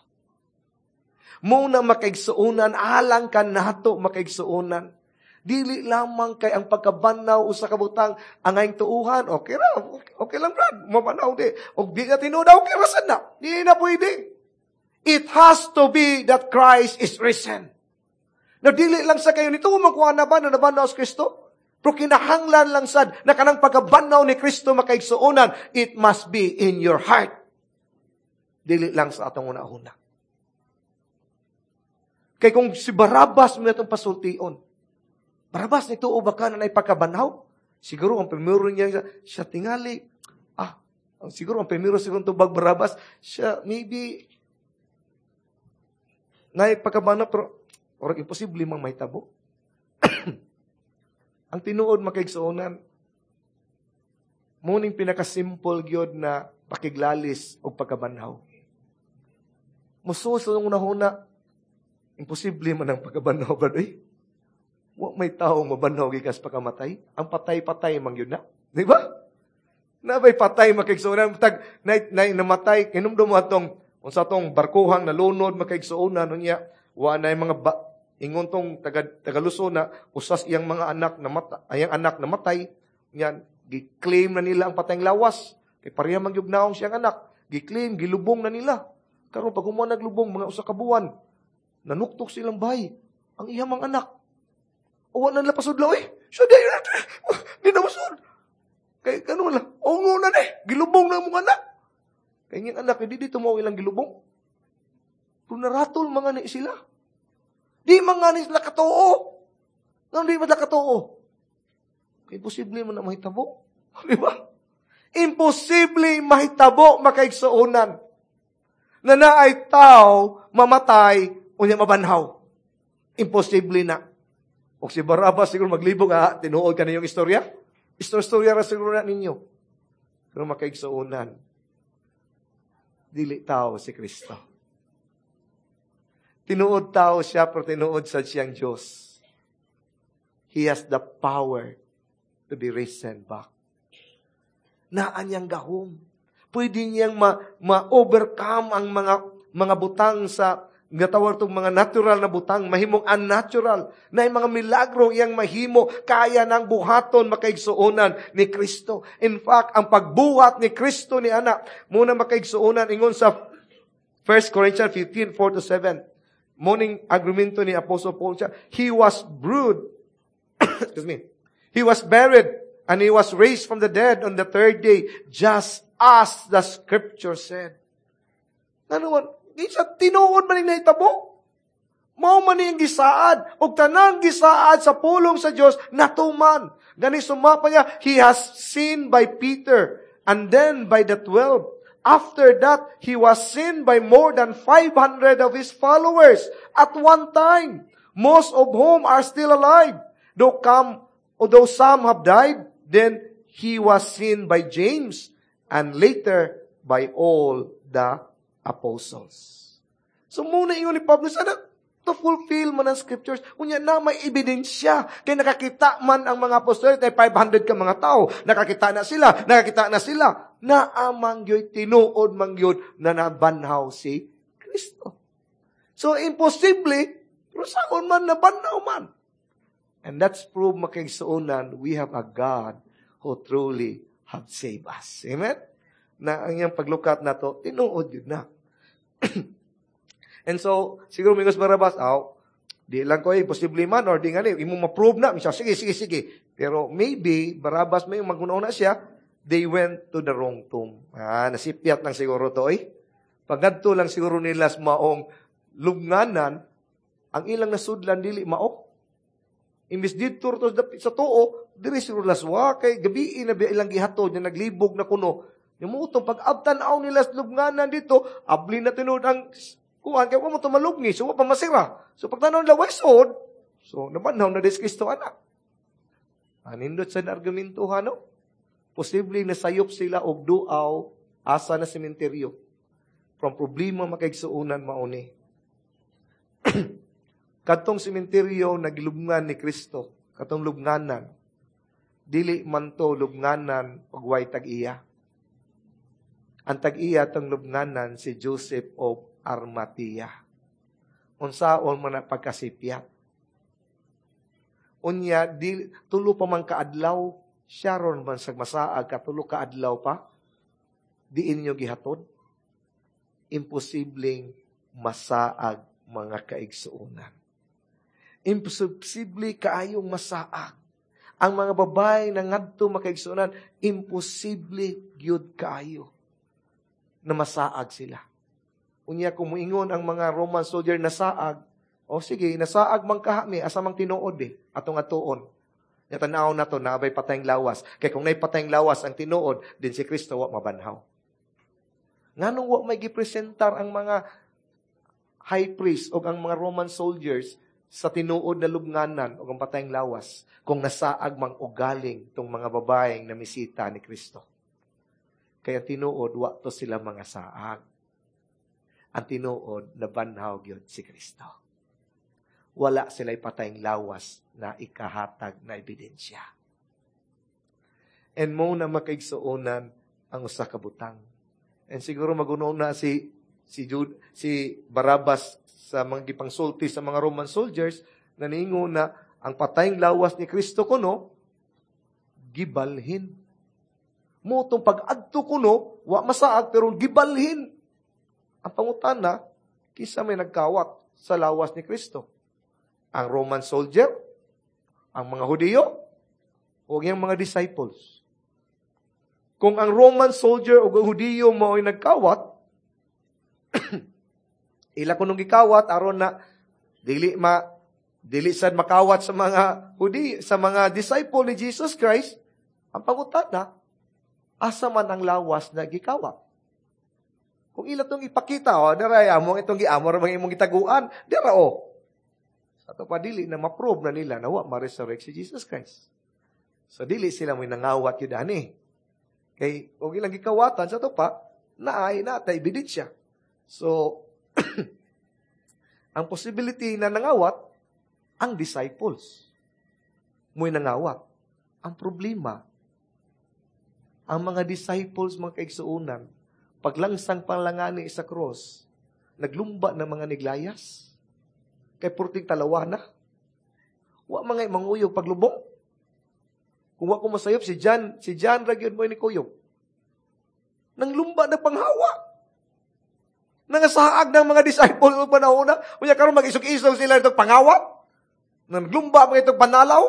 Muna makaigsuonan, alang ka nato makaigsuonan. Dili lamang kay ang pagkabanhaw usa ka butang angayng tuuhan. Okay ra, okay, okay lang brad, mabanhaw di. Og di na tinuod, okay ra sad na. Di na pwede. It has to be that Christ is risen. Na dili lang sa kayo nito makuha na ba na nabanhaw si Kristo? Pero kinahanglan lang sad na kanang pagkabanhaw ni Kristo makaigsuonan, it must be in your heart. Dili lang sa atong una-una. Kay kung si Barabas mo itong pasultion, Barabas, nituo ba ka na pagkabanhaw? Siguro ang primero niya, siya tingali, ah, siguro ang primero siguro tubag Barabas, siya maybe, na pagkabanhaw, pero, or imposible mang mahitabo. Ang tinuod makaigsuonan, muning pinakasimple gyud na pakiglalis o pagkabanhaw. Musuo sa una-una, imposible man ang pagkabanhaw, brad, eh. Wa may tao mabanhaw gikas pagkamatay. Ang patay-patay man yun na. Di ba? Nabay patay makaigsuonan. Tag, na, na, namatay, kinumdum mo atong, unsa tong barkuhang nalunod makaigsuonan, unya, wa na yung mga ba, ingon tong taga, taga-Luzon na usas iyang mga anak na mata, ayang anak namatay, yan, gi-claim na nila ang patayng lawas. Kay pareha man gyud naong siyang anak. Gi-claim, gilubong na nila. Karon pag human naglubong mga usa ka buwan, nanuktok silang bahay ang iyang mga anak. O wala nila pasudlo eh. Siya di, di na masud. Kay kano lang, ungo na ni, gilubong na mong anak. Kay niyang anak, hindi dito mo ilang gilubong. Pero naratol mga ni sila. Di mga ni sila katuo. Nga di man sila katuo. Kay imposible man na mahitabo. Di ba? Imposible mahitabo makaigsuonan. Na naay tao mamatay unya mabanhaw. Imposible na. O si Barabas siguro maglibog ha, tinuod ka na yung istorya. Istorya ra siguro na ninyo. Pero makaigsuonan, dili tao si Kristo. Tinuod tao siya, pero tinuod sa siyang Diyos. He has the power to be risen back. Naan niyang gahom. Pwede niyang ma- ma-overcome ang mga mga butang sa gatawag itong mga natural na butang, mahimong unnatural, na yung mga milagro iyang mahimo, kaya ng buhaton makaigsuonan ni Kristo. In fact, ang pagbuhat ni Kristo ni ana, muna makaigsuonan, ingon sa First Corinthians fifteen, four to seven, morning argumento ni Apostle Paul siya, he was brewed, excuse me, he was buried, and he was raised from the dead on the third day, just as the scripture said. Ano man, isa tinuod man ning nahitabo. Mao man niyang gisaad. Og tanang gisaad sa pulong sa Dios natuman. Gani sumapa niya, he has seen by Peter and then by the twelve. After that, he was seen by more than five hundred of his followers at one time, most of whom are still alive. Though come, although some have died, then he was seen by James and later by all the apostles. So muna ingon ni Pablo, sana to fulfill man ang scriptures. Unya na may ebidensya. Kaya nakakita man ang mga apostol, ay five hundred ka mga tao. Nakakita na sila, nakakita na sila. Naamang gyud, tinuod man gyud na nabanhaw si Kristo. So imposible, pero saon man nabanhaw man. And that's proof makaigsuonan, we have a God who truly have saved us. Amen? Na ang iyang paglukat na to, tinuod yun na. And so, siguro mingos Barabas, aw, di lang ko, eh, posible man, or di nga ni, imong ma-prove na, siya, sige, sige, sige. Pero maybe, Barabas, may magunaw na siya, they went to the wrong tomb. Ah, nasipyat lang siguro to, eh. Paggadto lang siguro nila sa maong lubnganan, ang ilang nasudlan dili mao. Imbis didto to sa tuo, diri siguro laswa, kay gabi na ilang gihatod, nga naglibog na kuno. Yung mutong pag-abtan-aw nila sa lubnganan dito, abli na tinuod ang kuan, kaya mo tumalubngi, so wa pa masira. So pagtanaw nila, way sod, so nabanhaw na des Kristo anak. Anindot sa argumento, no? Posible nasayop sila og duaw asa na sementeryo. From problema makaigsuonan mauni. Katong sementeryo na gilubngan ni Kristo, katong lubnganan, dili man to lubnganan og way tag-iya. Ang tag-iya tong lubnganan si Joseph of Arimathea. Unsaon man na pagkasipyat. Unya di tulo pa man kaadlaw, siya ron man sa masaag ka tulo ka adlaw pa. Diin nyo gihatod? Imposibleng masaag, mga kaigsuonan. Imposible kaayong masaag. Ang mga babae na ngadto, makaigsuonan, imposible gyud kaayo na masaag sila. Unya kung muingon ang mga Roman soldier nasaag, o sige, nasaag man kahami, asa mang tinuod eh, atong atuon. Nya tanaw na to, naa bay patayng lawas. Kay kung naay patayng lawas ang tinuod, din si Kristo wa mabanhaw. Nganong wa may gipresentar ang mga high priest o ang mga Roman soldiers sa tinuod na lubnganan o ang patayng lawas kung nasaag mang ugaling tong mga babaeng namisita ni Kristo? Kaya tinuod, wa to sila mga saag. Ang tinuod, nabanhaw gyud si Kristo. Wala sila patayng lawas na ikahatag na ebidensya. And mo na, makaigsuonan, ang usa ka butang. And siguro maguno na si si Jude, si Barabas sa mga gipangsulti sa mga Roman soldiers na niingon na ang patayng lawas ni Kristo kuno gibalhin. Mo tong pag-adto kuno, wa masaag pero gibalhin. Ang pangutana, kinsa may nagkawat sa lawas ni Kristo? Ang Roman soldier? Ang mga Hudiyo? O ang mga disciples? Kung ang Roman soldier o ang Hudiyo mo ay nagkawat, ila kunong gikawat aron na dili ma dili sad makawat sa mga Hudi, sa mga disciple ni Jesus Christ, ang pangutana, asa man ang lawas na gikawat? Kung ila tong ipakita, oh, dara amo itong giamo ra imong gitaguan, dira oh. Sa ato pa, dili na ma-prove na nila na wa ma-resurrect si Jesus Christ. So dili sila mo'y nangawat yun ani. Kay og ilang gikawatan sa ato pa, naay na tay ebidensya. So ang possibility na nangawat ang disciples. Mo'y nangawat. Ang problema, ang mga disciples, mga kaigsuonan, paglangsang palangani sa cross, naglumba ng mga niglayas. Kay purting talawa na. Wa mga manguyog paglubong. Kung wa ko masayop, si John, si John ra gyud mo ni kuyog. Nang lumba na panghawa. Nangasaag ng mga disciple ng panahon na. Unya karon mag-isog-isog sila itong pangawat. Naglumba mga itong panalaw.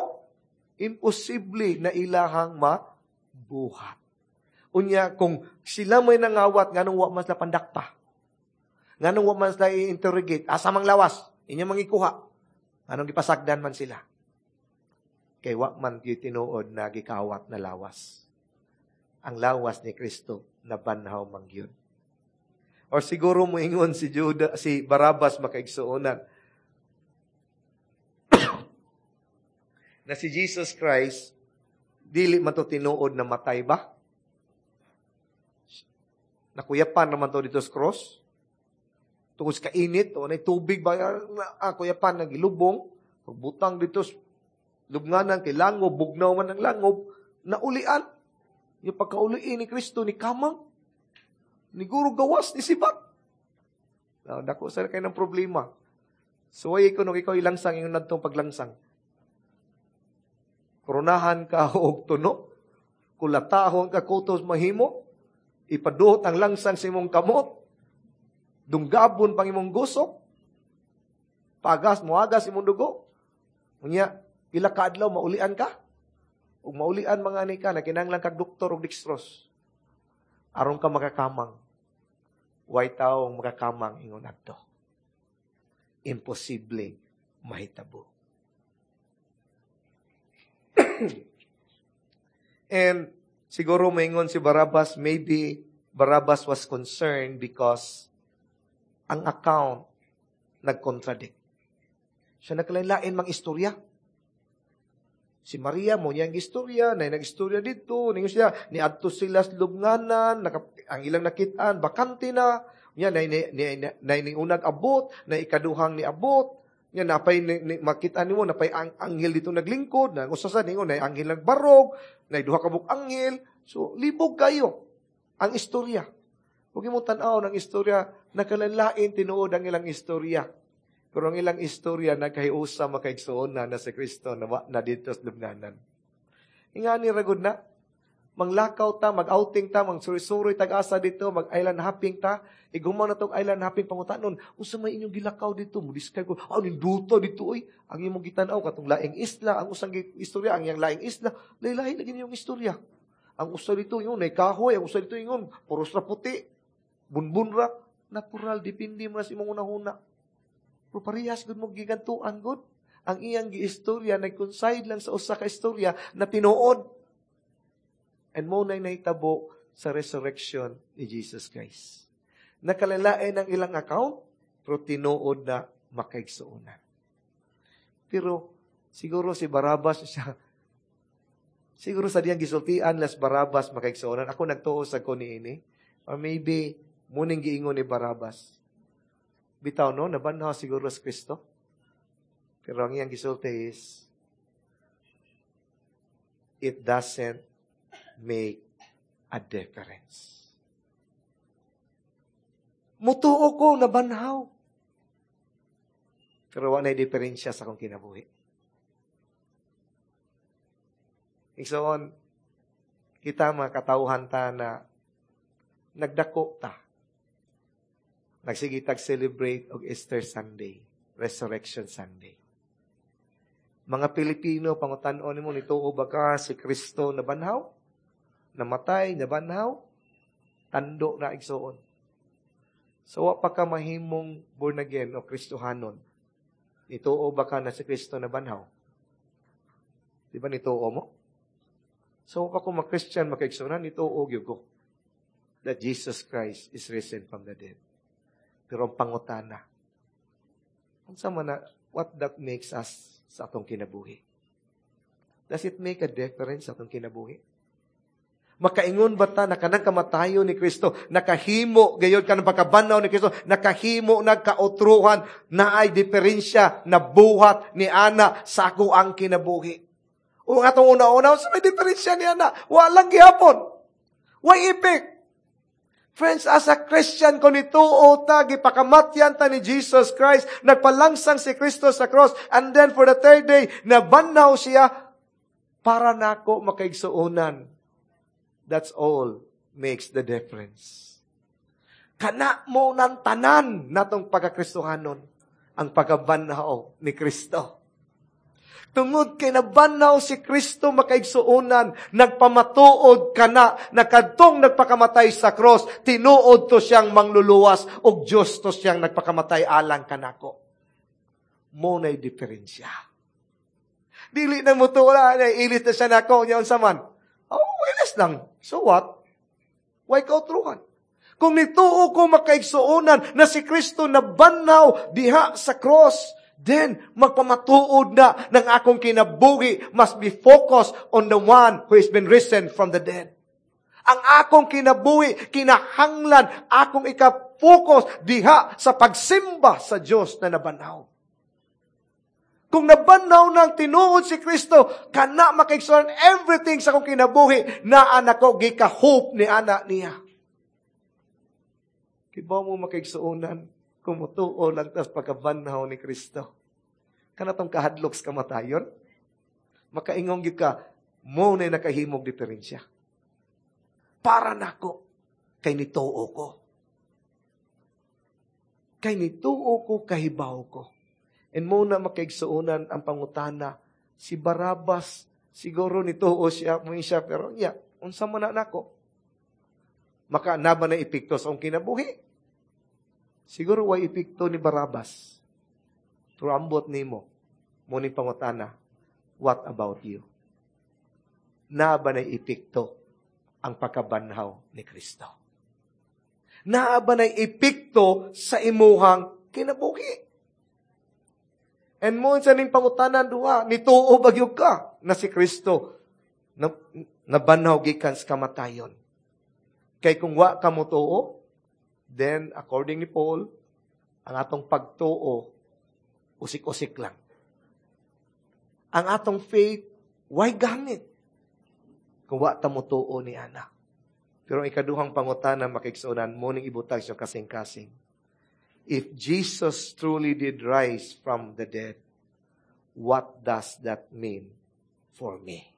Imposible na ilahang mabuhat. Unya, kung sila may nangawat, nganong wa man sila pandakpa? Nganong wa man sila i-interrogate? Asa mang lawas? Inyo mangikuha. Anong gipasagdan man sila? Kay wa man gyud tinuod na gikawat na lawas. Ang lawas ni Kristo nabanhaw man gyud. Or siguro moingon si Judah, si Barabas, makaigsuonan, na si Jesus Christ dili man to tinuod na matay ba? Nakuyapan naman to dito sa cross. Tungod sa kainit, o nay tubig ba, ah, kuyapan, nagilubong, pagbutang dito sa lubnganan, kay langob, bugnaw man ang langob, naulian. Yung pagkauliin ni Kristo, ni kamang, ni guro gawas, ni sibat. Now, dako sa kayo ng problema. So, ay ko nung ikaw ilangsang, yung nadtong paglangsang. Koronahan ka og tuno, kulatahon ka kutos mahimo, ipaduot ang langsang sa imong kamot, dunggabon pang imong gusok, pagas, muagas imong dugo. Unya, pila ka adlaw maulian ka? Ug maulian mga ani ka, na kinahanglan kag doktor og dextrose. Aron ka makakamang. Way taong makakamang ingon adto. Imposible mahitabo. And siguro maingon si Barabas, maybe Barabas was concerned because ang account nag-contradict. Siya nagkalain-lain mang istorya. Si Maria mo niyang istorya, na nag-istorya dito, ningon siya, niadto sila sa lubnganan, naka, ang ilang nakitaan, bakante na, niya, na, na, na, na, na, ni unag abot, na ikaduhang ni abot, niya, napay, ni, ni, makita nimo, napay ang anghel dito naglingkod, na usa sa ningon, na anghel nagbarog, na duha ka buok anghel. So, libog kayo ang istorya. Huwag mo tan-aw ng istorya, nakalain tinuod ang ilang istorya. Pero ang ilang istorya nagkahiusa, makaigsuon na na si Kristo na, na dito sa lubnganan. Ingani ra gud na. Manglakaw ta, mag-outing ta, magsuroy-suroy tag-asa dito, mag-island hopping ta. Iguman na tong island hopping, pangutanon, "Unsa may inyong gilakaw dito?" Mo describe ko, "Ah, ninduto dito oy." Ang imong gitan-aw katong laing isla, ang usang istorya, ang iyang laing isla, lahi-lahi lagi inyong istorya. Ang usa dito ingon, nay kahoy, ang usa dito ingon, puros ra puti. Bunbun ra, natural, depende mo na sa imong unahuna. Pero parehas gud mo gigantuan gud. Ang iyang giistorya nag-coincide lang sa usa ka istorya na tinuod. And mo na'y nahitabo sa resurrection ni Jesus Christ. Nakalalain ang ilang account, pero tinuod na, makaigsuonan. Pero siguro si Barabas siya, siguro sa diyang gisultian las Barabas, makaigsuonan. Ako nagtuo sa ko niini. Or maybe, muning giingon ni Barabas, "Bitaw no, nabanhaw siguro si Kristo." Pero ang iyang gisulti is, "It doesn't make a difference. Mutuo ko, nabanhaw. Pero wa na diferensya sa akong kinabuhi." Igsoon, kita mga katawhan ta na nagdako ta. Nagsige tag celebrate og Easter Sunday, Resurrection Sunday. Mga Pilipino, pangutan-on nimo, nituo ba ka si Kristo nabanhaw? Namatay, nabanhaw? Tando na, igsoon. So, wa pa ka mahimong born again o Kristohanon. Nituo ba ka na si Kristo nabanhaw? Di ba nituo mo? So, wa pa ko ma-Christian, makaigsuonan, nituo gyud ko that Jesus Christ is risen from the dead. Pero ang pangutana, unsa man na, what that makes us sa atong kinabuhi? Does it make a difference sa atong kinabuhi? Makaingon ba ta na kanang kamatayon ni Kristo, nakahimo, gayon kanang pagkabanhaw ni Kristo, nakahimo nagkautruhan, na ay diferensya na buhat ni ana sa ako ang kinabuhi? O ang atong una-una, sa may diferensya ni ana, walang gihapon. Way effect. Friends, as a Christian, kung nituo ta, gipakamatyan ta ni Jesus Christ, nagpalangsang si Kristo sa cross, and then for the third day, nabanhaw siya, para nako, makaigsuonan. That's all makes the difference. Kana mo ng tanan natong pagkakristohanon, ang pagkabanhaw ni Kristo. Tungod kay nabanhaw si Kristo, makaigsuonan, nagpamatuod kana na kadtong nagpakamatay sa cross, tinuod to siyang mangluluwas ug Dios to siyang nagpakamatay alang kanako. Mo na'y diferensya. Dili na mo to, wala na, ilis na siya nako, niya unsa man. Oh, ilis lang. So what? Why kautruhan? Kung nituo ko, makaigsuonan, na si Kristo nabanhaw diha sa cross, then magpamatuod na ng akong kinabuhi must be focused on the one who has been risen from the dead. Ang akong kinabuhi, kinahanglan, akong ika-focus diha sa pagsimba sa Diyos na nabanhaw. Kung nabanhaw ng tinuod si Kristo, kana, makaigsuonan, everything sa akong kinabuhi, naa nako gika-hope ni ana niya. Kibaw mo, makaigsuonan, kung mutuo lang tas pagkabanhaw ni Kristo. Kana tong kahadlok sa kamatayon, makaingong gyud ka, mo na nakahimog diferensya. Para nako, kay nituo ko. Kay nituo ko, kahibaw ko. And mo na, makaigsuonan, ang pangutana, si Barabas, siguro nituo siya, mo siya, pero niya, unsa man na nako? Maka naba na epekto sa akong kinabuhi? Siguro way epekto ni Barabas. Pero ambot nimo, mo ni pangutana, what about you? Naa ba na epekto ang pagkabanhaw ni Kristo? Naa ba na epekto sa imuhang kinabuhi? And mo sa ning pangutanan duha, nituo ba gyud ka na si Kristo na, nabanhaw gikan sa kamatayon? Kay kung wa ka motuo, then according ni Paul, ang atong pagtuo usik-usik lang. Ang atong faith, why gamit? Kung wa ta motuo ni ana. Pero ang ikaduhang pangutana, makaigsuonan, mo ning ibutag siya kasing-kasing. If Jesus truly did rise from the dead, what does that mean for me?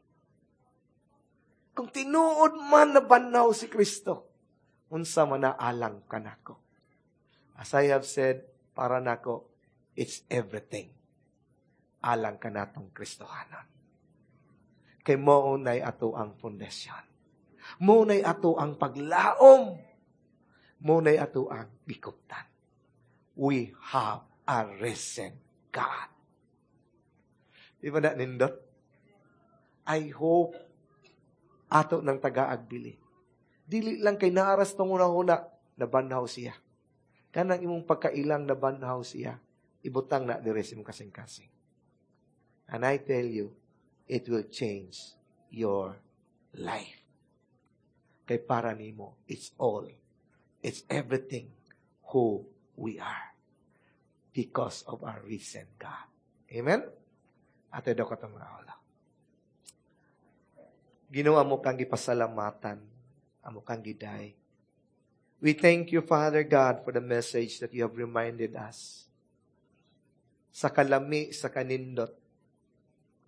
Kung tinuod man nabanhaw si Kristo, unsa man na alang kanako. As I have said, para nako, it's everything. Alang kanatong Kristohanon. Kay mao nay ato ang pundasyon. Mao nay ato ang paglaom. Mao nay ato ang gikuptan. We have a risen God. Di ba na nindot? I hope ato ng tagaag bili. Dili lang kay naaras tong una-una, nabanhaw siya. Kanang imong pagkailang nabanhaw siya, ibutang na dire sa imong kasing-kasing. And I tell you, it will change your life. Kay para nimo, it's all. It's everything who we are. Because of our risen God. Amen? Ate daw katong mga wala. Ginoo amo kang gipasalamatan, amo kang giday. We thank you, Father God, for the message that you have reminded us. Sa kalami, sa kanindot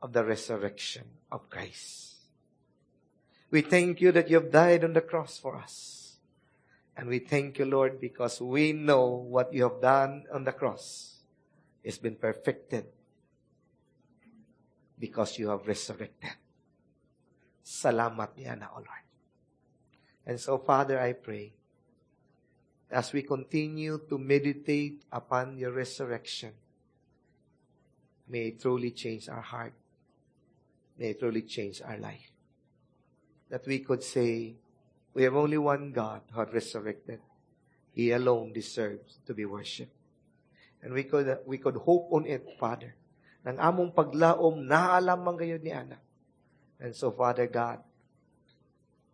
of the resurrection of Christ. We thank you that you have died on the cross for us. And we thank you, Lord, because we know what you have done on the cross has been perfected because you have resurrected. Salamat niya na, O Lord. And so, Father, I pray, as we continue to meditate upon your resurrection, may it truly change our heart. May it truly change our life. That we could say, we have only one God who had resurrected. He alone deserves to be worshipped. And we could, we could hope on it, Father. Nang among paglaom, naalamang gayud ni Ana. And so, Father God,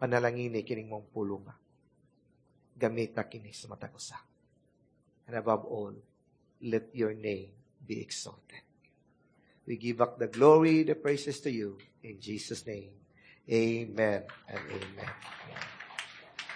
panalangini kining mong pulunga. Gamita kini sa matag usa. And above all, let your name be exalted. We give back the glory, the praises to you. In Jesus' name, amen and amen.